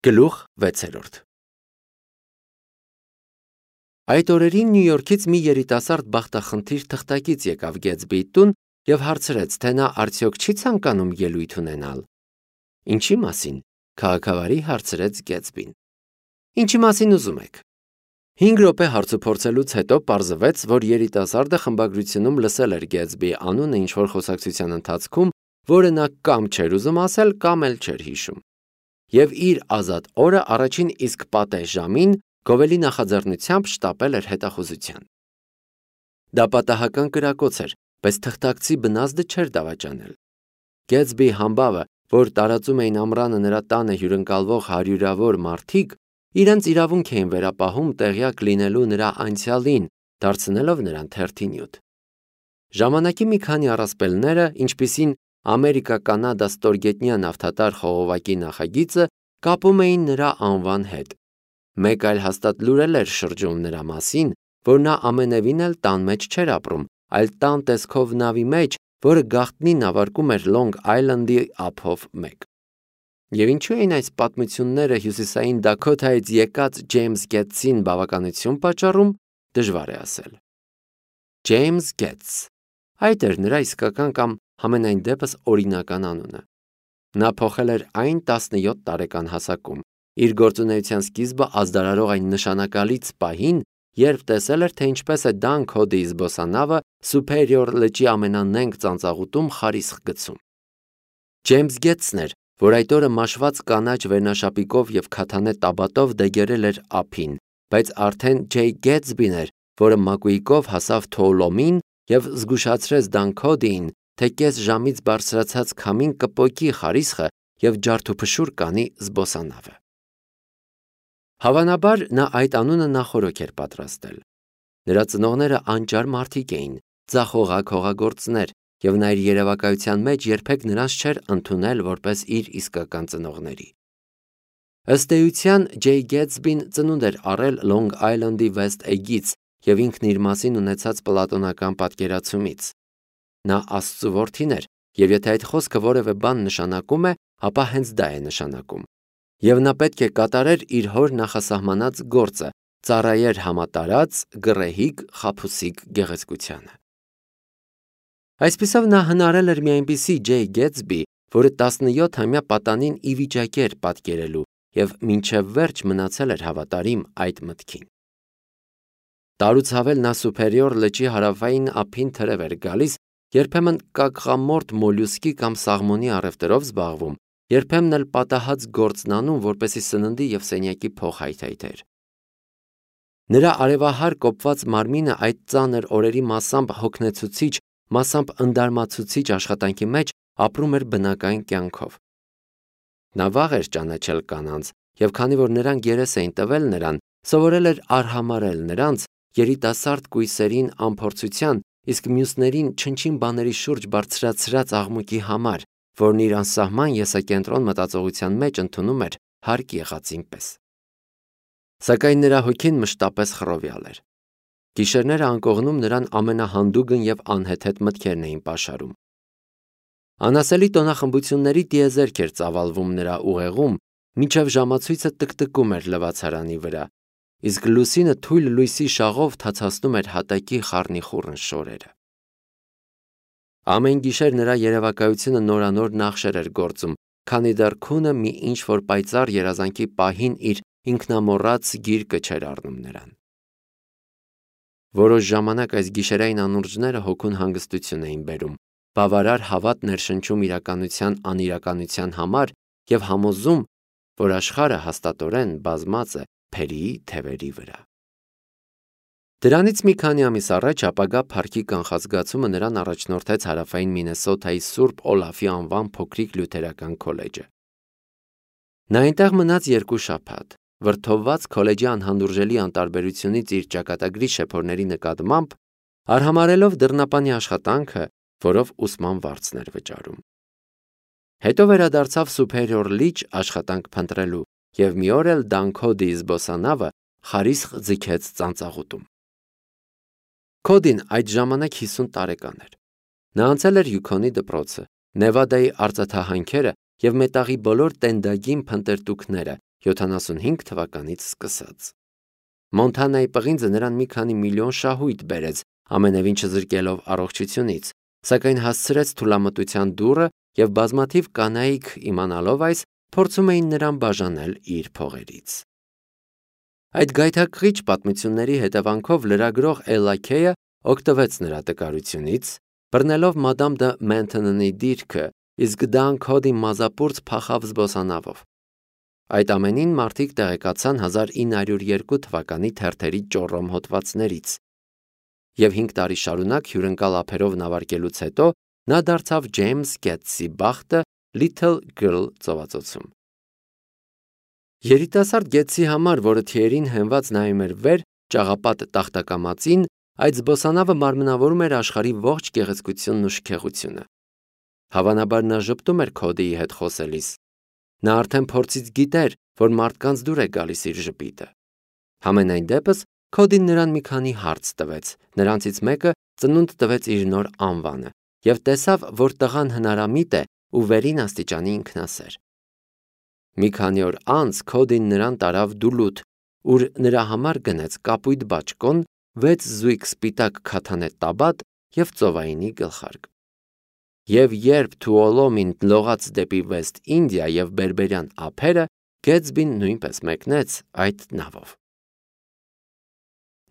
Գլուխ 6 Այդ օրերին Նյու Յորքից մի երիտասարդ բախտախնդիր թղթակից եկավ Գեթսբիի տուն և հարցրեց, թե նա արդյոք չի ցանկանում ելույթ ունենալ։ Ինչի մասին, քաղաքավարի հարցրեց Գեթսբին։ Ինչի մասին ուզում եք։ 5 րոպե հարցուփորձելուց հետո պարզվեց, որ երիտասարդը խմբագրությունում լսել էր Գեթսբիի անունը ինչ-որ խոսակցության ընթացքում, որը նա կամ չէր ուզում ասել, կամ էլ չէր հիշում։ Եվ իր ազատ օրը առաջին իսկ պատեհ ժամին գովելի նախաձեռնությամբ շտապել էր հետախուզության։ Դա պատահական կրակոց էր, բայց թղթակցի բնազդը չէր դավաճանել։ Գեթսբիի համբավը, որ տարածում էին ամռանը նրա տանը հյուրընկալվող հարյուրավոր մարդիկ, իրենց իրավունք էին վերապահում տեղյակ լինելու նրա անցյալին, դարձնելով նրան թերթի նյութ։ Ժամանակի մի քանի առասպելները, ինչպիսին Ամերիկա-Կանադա ստորգետնյա նավթատար խողովակի նախագիծը, կապում էին նրա անվան հետ։ Մեկ այլ հաստատ լուր էր շրջում նրա մասին, որ նա ամենևին էլ տան մեջ չէր ապրում, այլ տան տեսքով նավի մեջ, որը գաղտնի նավարկում էր Լոնգ Այլանդի ափով մեկ։ Եվ ինչու էին այս պատմությունները հյուսիսային Դաքոթայից եկած Ջեյմս Գեթսին բավականություն պատճառում, դժվար է ասել։ Ջեյմս Գեթս, այդ էր նրա իսկական կամ համենայն դեպս օրինական անունը։ Նա փոխել էր այն 17 տարեկան հասակում, իր գործունեության սկիզբը ազդարարող այն նշանակալից պահին, երբ տեսել էր, թե ինչպես է Դան Քոդիի զբոսանավը Սուփերիոր լճի ամենանենգ ծանծաղուտում խարիսխ գցում։ Ջեյմս Գեթսն էր, որ այդ օրը մաշված կանաչ վերնաշապիկով և քաթանե տաբատով դեգերել էր ափին, բայց արդեն Ջեյ Գեթսբին էր, որը մակույկով հասավ Թոուլոմին և զգուշացրեց Դան Քոդիին, թե կես ժամից բարձրացած քամին կպոկի խարիսխը և ջարդուփշուր կանի զբոսանավը։ Հավանաբար նա այդ անունը նախօրոք էր պատրաստել։ Նրա ծնողները անճար մարդիկ էին, ձախողակ հողագործներ, և նա իր երևակայության մեջ երբեք նրանց չէր ընդունել որպես իր իսկական ծնողների։ Ըստ էության, Ջեյ Գեթսբին ծնունդ էր առել Լոնգ Այլանդի Վեստ Էգից և ինքն իր մասին ունեցած պլատոնական պատկերացումից։ Նա Աստծու որդին էր, և եթե այդ խոսքը որևէ բան նշանակում է, ապա հենց դա է նշանակում։ Եվ նա պետք է կատարեր իր հոր նախասահմանած գործը, ծառայեր համատարած, գռեհիկ, խաբուսիկ գեղեցկությանը։ Այսպիսով նա հնարել էր մի այնպիսի Ջեյ Գեթսբի, որը 17-ամյա պատանին ի վիճակի էր պատկերելու և մինչև վերջ մնացել էր հավատարիմ այդ մտքին։ Տարուց հավել նա Սուփերիոր լճի հարավային ափին թրև էր գալիս, երբեմն կակղամորթ մոլյուսկի կամ սաղմոնի առևտրով զբաղվում, երբեմն էլ պատահած գործն անում, որպեսզի սննդի և սենյակի փող հայթայթեր։ Նրա արևահար կոպված մարմինը այդ ծանր օրերի մասամբ հոգնեցուցիչ, մասամբ ընդարմացուցիչ աշխատանքի մեջ ապրում էր բնական կյանքով։ Նա վաղ էր ճանաչել կանանց, և քանի որ նրանք երես էին տվել նրան, սովորել էր արհամարհել նրանց, երիտասարդ կույսերին անփորձության, իսկ մյուսներին չնչին բաների շուրջ բարձրացրած աղմուկի համար, որն իր անսահման եսակենտրոն մտածողության մեջ ընդունում էր հարկ եղածին պես։ Սակայն նրա հոգին մշտապես խռովյալ էր։ Գիշերները անկողնում նրան ամենահանդուգն և անհեթեթ մտքերն էին պաշարում։ Անասելի տոնախմբությունների տիեզերք էր ծավալվում նրա ուղեղում, մինչև ժամացույցը տկտկում էր լվացարանի վրա, իսկ լուսինը թույլ լույսի շաղով թացացնում էր հատակի խառնիխուռն շորերը։ Ամեն գիշեր նրա երևակայությունը նորանոր նախշեր էր գործում, քանի դեռ քունը մի ինչ-որ պայծառ երազանքի պահին իր ինքնամոռաց գիրկը չէր առնում նրան։ Որոշ ժամանակ այս գիշերային անուրջները հոգուն հանգստություն էին բերում, բավարար հավատ ներշնչում իրականության անիրականության համար և համոզում, որ աշխարհը հաստատորեն բազմած է փերիի թևերի վրա։ Դրանից մի քանի ամիս առաջ ապագա փառքի կանխազգացումը նրան առաջնորդեց հարավային Մինեսոթայի Սուրբ Օլաֆի անվան փոքրիկ լյութերական քոլեջը։ Նա այնտեղ մնաց 2 շաբաթ, վրդովված քոլեջի անհանդուրժելի անտարբերությունից իր ճակատագրի շեփորների նկատմամբ, արհամարհելով դռնապանի աշխատանքը, որով ուսման վարձն էր վճարում։ Հետո վերադարձավ Սուփերիոր լիճ աշխատանք փնտրելու և մի օր էլ Դան Քոդիի զբոսանավը խարիսխ ձգեց ծանծաղուտում։ Քոդին այդ ժամանակ 50 տարեկան էր։ Նա անցել էր Յուքոնի դպրոցը, Նևադայի արծաթահանքերը և մետաղի բոլոր տենդագին փնտրտուքները 75 թվականից սկսած։ Մոնթանայի պղինձը նրան մի քանի միլիոն շահույթ բերեց, ամենևին չզրկելով առողջությունից, սակայն հասցրեց թուլամտության դուռը և բազմաթիվ կանայք իմանալով այս, փորձում էին նրան բաժանել իր փողերից։ Այդ գայթակղիչ պատմությունների հետևանքով լրագրող Էլլա Քեյը օգտվեց նրա տկարությունից, բռնելով մադամ դը Մենթոնի դիրքը, իսկ Դան Քոդի մազապուրծ փախավ զբոսանավով։ Այդ ամենին մարդիկ տեղեկացան 1902 թվականի թերթերի ճոռոմ հոդվածներից, և 5 տարի շարունակ հյուրընկալ ափերով նավարկելուց հետո նա դարձավ Ջեյմս Գետսի բախտը Little Girl ծովածոցում։ Երիտասարդ Գետսի համար, որը թիերին հենված նայում էր վեր ճաղապատ տախտակամածին, այդ զբոսանավը մարմնավորում էր աշխարհի ողջ գեղեցկությունն ու շքեղությունը։ Հավանաբար նա ժպտում էր Քոդիի հետ խոսելիս։ Նա արդեն փորձից գիտեր, որ մարդկանց դուր է գալիս իր ժպիտը։ Համենայն դեպս Քոդին նրան մի քանի հարց տվեց, նրանցից մեկը ծնունդ տվեց իր նոր անվանը և տեսավ, որ տղան հնարամիտ է ու վերին աստիճանի ինքնասեր։ Մի քանի օր անց Քոդին նրան տարավ Դուլութ, ուր նրա համար գնեց կապույտ բաճկոն, 6 զույգ սպիտակ քաթանե տաբատ և ծովայինի գլխարկ։ Եվ երբ Թուոլոմին լողաց դեպի Վեստ Ինդիա և Բերբերյան ափերը, Գետսբին նույնպես մեկնեց այդ նավով։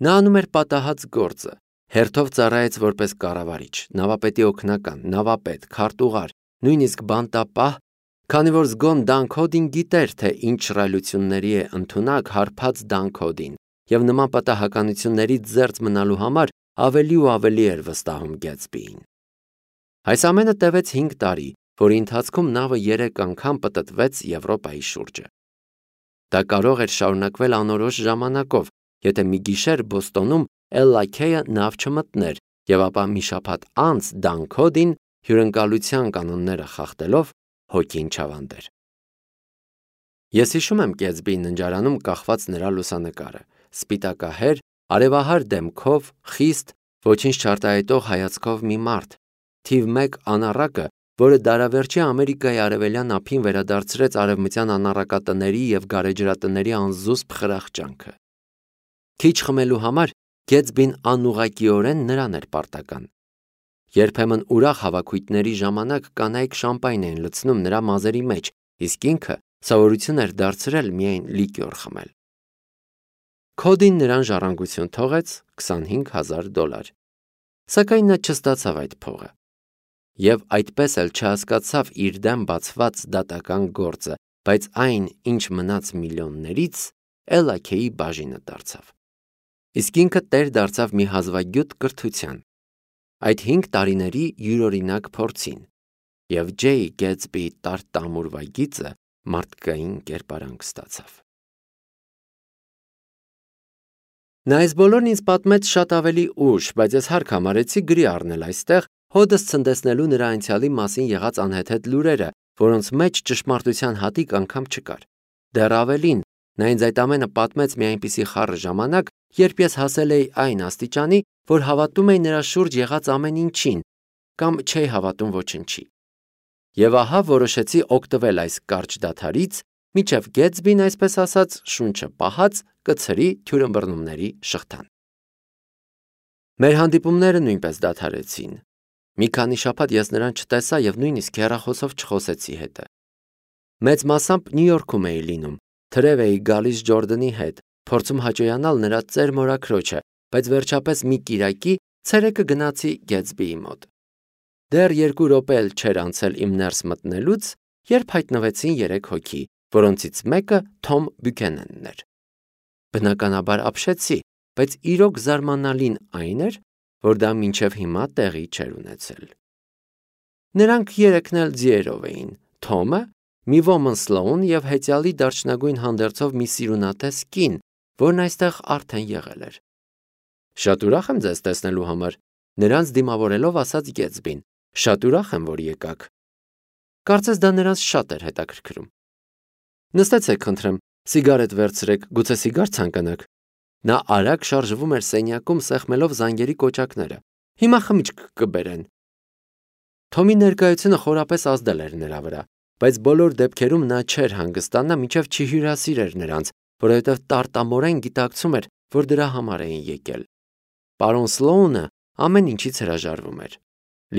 Նա անում էր պատահած գործը, հերթով ծառայեց որպես կառավարիչ, նավապետի օգնական, նավապետ, քարտուղար, նույնիսկ բանտապահ, քանի որ զգոն Դան Քոդին գիտեր, թե ինչ շռայլությունների է ընդունակ հարբած Դան Քոդին, և նման պատահականություններից զերծ մնալու համար ավելի ու ավելի էր վստահում Գետսբիին։ Այս ամենը տևեց 5 տարի, որի ընթացքում նավը 3 անգամ պտտվեց Եվրոպայի շուրջը։ Դա կարող էր շարունակվել անորոշ ժամանակով, եթե մի գիշեր Բոստոնում Էլլա Քեյը նավ չմտներ, և ապա մի շաբաթ անց Դան Քոդին հյուրընկալության կանոնները խախտելով հոգին չավանդեր։ Ես հիշում եմ Գետսբիի ննջարանում կախված նրա լուսանկարը՝ սպիտակահեր, արևահար դեմքով, խիստ, ոչինչ չարտահայտող հայացքով մի մարդ, թիվ 1 անառակը, որը դարավերջի Ամերիկայի արևելյան ափին վերադարձրեց արևմտյան անառակատների և գարեջրատների անզուսպ խրախճանքը։ Քիչ խմելու համար Գետսբին անուղղակիորեն նրան էր պարտական։ Երբեմն ուրախ հավաքույթների ժամանակ կանայք շամպայն էին լցնում նրա մազերի մեջ, իսկ ինքը սովորություն էր դարձրել միայն լիկյոր խմել։ Քոդին նրան ժառանգություն թողեց $25,000, սակայն նա չստացավ այդ փողը։ Եվ այդպես էլ չհասկացավ իր դեմ բացված դատական գործը, բայց այն, ինչ մնաց միլիոններից, Էլլա Քեյի բաժինը դարձավ։ Իսկ ինքը տեր դարձավ մի հազվագյուտ կրթության, այդ 5 տարիների յուրօրինակ փորձին, և Ջեյ Գետսբիի տար-տամուրվա գիծը մարդկային կերպարանք ստացավ։ Նա այս բոլորն ինձ պատմեց շատ ավելի ուշ, բայց ես հարկ համարեցի գրի առնել այստեղ, հոդս ցնդեցնելու նրա անցյալի մասին եղած անհեթեթ լուրերը, որոնց մեջ ճշմարտության հատիկ անգամ չկար։ Դեռ ավելին, նա ինձ այդ ամենը պատմեց մի այնպիսի խառը ժամանակ, երբ ես հասել էի այն աստիճանի, որ հավատում էի նրա շուրջ եղած ամեն ինչին, կամ չէի հավատում ոչնչի։ Եվ ահա որոշեցի օգտվել այս կարճ դադարից, մինչև Գետսբին, այսպես ասած, շունչը պահած, կցրի թյուրըմբռնումների շղթան։ Մեր հանդիպումները նույնպես դադարեցին։ Մի քանի շաբաթ ես նրան չտեսա և նույնիսկ հեռախոսով չխոսեցի հետը։ Մեծ մասամբ Նյու Յորքում էի լինում, թրև էի գալիս Ջորդանի հետ, փորձում հաճոյանալ նրա ծեր մորաքրոջը, բայց վերջապես մի կիրակի ցերեկը գնացի Գետսբիի մոտ։ Դեռ 2 րոպե էլ չէր անցել իմ ներս մտնելուց, երբ հայտնվեցին 3 հոգի, որոնցից մեկը Թոմ Բյուքենենն էր։ Բնականաբար ապշեցի, բայց իրոք զարմանալին այն էր, որ դա մինչև հիմա տեղի չէր ունեցել։ Նրանք 3-ն էլ ձիերով էին, Թոմը, մի ոմն Սլոուն և հեծյալի դարչնագույն հանդերձով մի սիրունատես կին, որն այստեղ արդեն եղել էր։ Շատ ուրախ եմ ձեզ տեսնելու համար, նրանց դիմավորելով ասաց Գետսբին, շատ ուրախ եմ, որ եկաք։ Կարծես դա նրանց շատ էր հետաքրքրում։ Նստեցեք, խնդրեմ, սիգարետ վերցրեք, գուցե սիգար ցանկանաք։ Նա արագ շարժվում էր սենյակում սեղմելով զանգերի կոճակները։ Հիմա խմիչք կբերեն։ Թոմի ներկայությունը խորապես ազդել էր նրա վրա։ բայց բոլոր դեպքերում նա չէր հանգստանա, մինչև չհյուրասիրեր նրանց, որովհետև տարտամորեն գիտակցում էր, որ դրա համար էին եկել։ Պարոն Սլոունը ամեն ինչից հրաժարվում էր։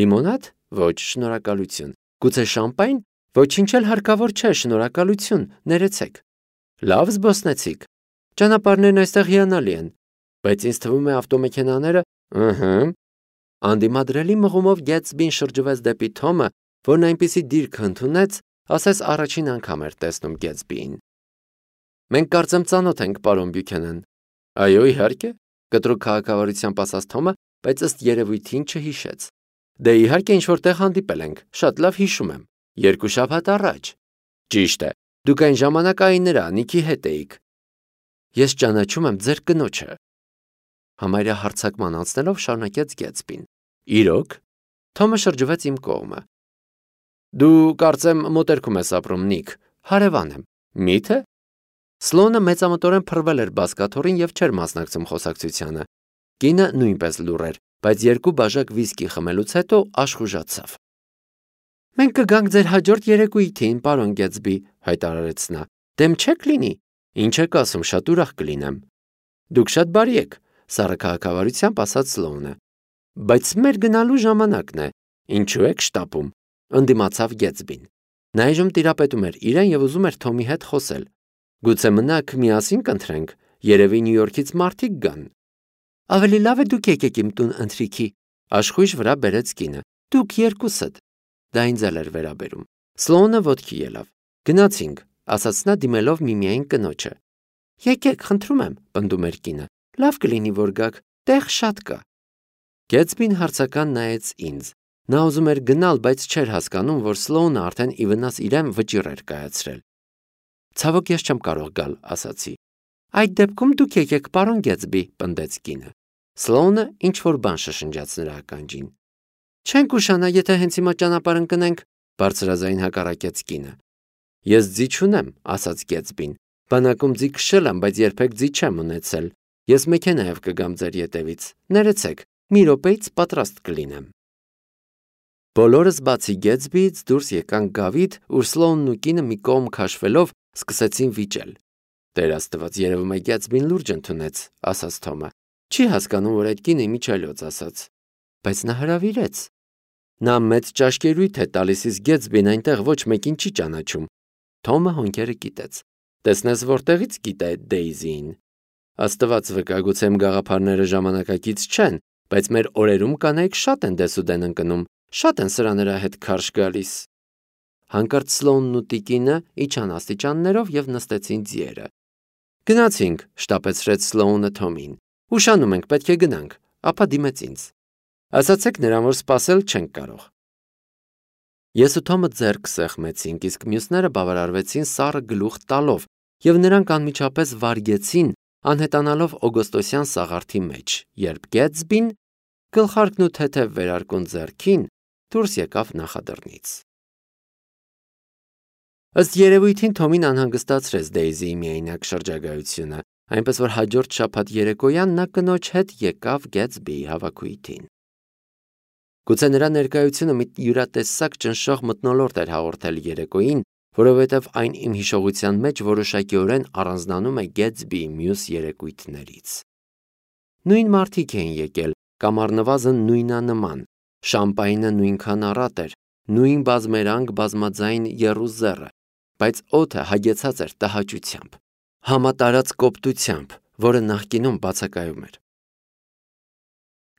Լիմոնադ? Ոչ, շնորհակալություն։ Գուցե շամպայն? Ոչինչ էլ հարկավոր չէ, շնորհակալություն, ներեցեք։ Լավ զբոսնեցիք։ Ճանապարհներն այստեղ հիանալի են, բայց ինձ թվում է ավտոմեքենաները, Անդիմադրելի մղումով Գեթսբին շրջվեց դեպի Թոմը, որն այնպիսի դիրք ընդունեց, ասես առաջին անգամ էր տեսնում Գեթսբիին։ Մենք կարծեմ ծանոթ ենք, պարոն Բյուքենեն։ Այո, իհարկե, կտրուկ քաղաքավարությամբ ասաց Թոմը, բայց ըստ երևույթին չհիշեց։ Դե իհարկե ինչ-որտեղ հանդիպել ենք, շատ լավ հիշում եմ, 2 շաբաթ առաջ։ Ճիշտ է, դուք այն ժամանակ այներա Նիքի հետ էիք։ Ես ճանաչում եմ ձեր կնոջը։ Համարյա հարձակման անցնելով շարունակեց Գեթսբին։ Իրոք։ Թոմը շրջվեց իմ կողմը։ Դու կարծեմ մոտերքում ես ապրում, Նիք, հարևան եմ։ Մի՞թե։ Սլոունը մեծամտորեն փռվել էր բազկաթոռին և չէր մասնակցում խոսակցությանը։ Կինը նույնպես լուռ էր, բայց 2 բաժակ վիսկի խմելուց հետո աշխուժացավ։ Մենք կգանք ձեր հաջորդ երեկույթին, պարոն Գեթսբի, հայտարարեց նա։ Դեմ չեք լինի։ Ինչ եք ասում, շատ ուրախ կլինեմ։ Դուք շատ բարի եք, սառը քաղաքավարությամբ ասաց Սլոունը։ Բայց մեր գնալու ժամանակն է։ Ինչու եք շտապում, ընդդիմացավ Գեթսբին։ Նա այժմ տիրապետում էր իրեն և ուզում էր Թոմի հետ խոսել։ Գուցե մնաք միասին կընթրենք, երևի Նյու Յորքից մարդիկ գան։ Ավելի լավ է դուք եկեք իմ տուն ընթրիքի, աշխույժ վրա բերեց կինը։ Դուք երկուսդ։ Դա ինձ էլ էր վերաբերում։ Սլոունը ոտքի ելավ։ Գնացինք, ասաց նա դիմելով միմիային կնոջը։ Եկեք, խնդրում եմ, պնդում էր կինը։ Լավ կլինի, որ գաք, տեղ շատ կա։ Գեթսբին հարցական նայեց ինձ։ Նա ուզում էր գնալ, բայց չէր հասկանում, որ Սլոունը արդեն ի վնաս իրեն վճիռ էր կայացրել։ Ցավոք ես չեմ կարող գալ, ասացի։ Այդ դեպքում դուք եկեք, պարոն Գեթսբի, պնդեց կինը։ Սլոունը ինչ-որ բան շշնջաց նրա ականջին։ Չենք ուշանա, եթե հենց հիմա ճանապարհ ընկնենք, բարձրաձայն հակառակեց կինը։ Ես ձի չունեմ, ասաց Գեթսբին։ Բանակում ձի քշել եմ, բայց երբեք ձի չեմ ունեցել։ Ես մեքենայով կգամ ձեր ետևից։ Ներեցեք, մի րոպեից պատրաստ կլինեմ։ Բոլորս բացի Գեթսբիից դուրս եկանք գավիթ, ուր Սլոունն ու կինը մի կողմ քաշվելով սկսեցին վիճել։ Տեր Աստված, երևում է Գեթսբին լուրջ ընդունեց, ասաց Թոմը։ Չի հասկանում, որ այդ կինը միջալյոց ասաց։ Բայց նա հրավիրեց։ Նա մեծ ճաշկերույթ է տալիս, իսկ Գեթսբին այնտեղ ոչ մեկին չի ճանաչում։ Թոմը հոնքերը կիտեց։ Տեսնես որտեղից գիտե այդ Դեյզիին։ Աստված վկա, գուցե իմ գաղափարները ժամանակակից չեն, բայց մեր օրերում կանայք շատ են դեսուդեն ընկնում, շատ են սրա նրա հետ քարշ գալիս։ Հանկարծ Սլոունն ու տիկինը իջան աստիճաններով և նստեցին ձիերը։ Գնացինք, շտապեցրեց Սլոունը Թոմին։ Ուշանում ենք, պետք է գնանք, ապա դիմեց ինձ։ Ասացեք նրան, որ սպասել չենք կարող։ Ես ու Թոմը ձեռք սեղմեցինք, իսկ մյուսները բավարարվեցին սառը գլուխ տալով, և նրանք անմիջապես վարգեցին, անհետանալով օգոստոսյան սաղարթի մեջ, երբ Գեթսբին, գլխարկն ու թեթև վերարկուն ձեռքին, դուրս եկավ նախադռնից։ Ըստ երևույթին Թոմին անհանգստացրեց Դեյզիի միայնակ շրջագայությունը, այնպես որ հաջորդ շաբաթ երեկոյան նա կնոջ հետ եկավ Գեթսբիի հավաքույթին։ Գուցե նրա ներկայությունը մի յուրատեսակ ճնշող մթնոլորտ էր հաղորդել երեկոյին, որովհետև այն իմ հիշողության մեջ որոշակիորեն առանձնանում է Գեթսբիի մյուս երեկույթներից։ Նույն մարդիկ էին եկել, կամ առնվազն նույնանման, շամպայնը նույնքան առատ էր, նույն բազմերանգ բազմաձայն եռուզեռը, բայց օդը հագեցած էր տհաճությամբ, համատարած կոպտությամբ, որը նախկինում բացակայում էր։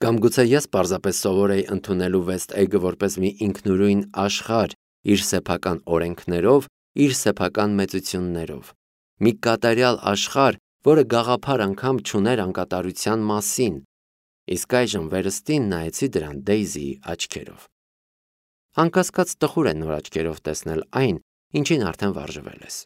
Կամ գուցե ես պարզապես սովոր էի ընդունելու Վեստ Էգը որպես մի ինքնուրույն աշխարհ իր սեփական օրենքներով, իր սեփական մեծություններով, մի կատարյալ աշխարհ, որը գաղափար անգամ չուներ անկատարության մասին, իսկ այժմ վերստին նայեցի դրան Դեյզիի աչքերով։ Անկասկած տխուր է նոր աչքերով տեսնել այն, ինչին արդեն վարժվել ես։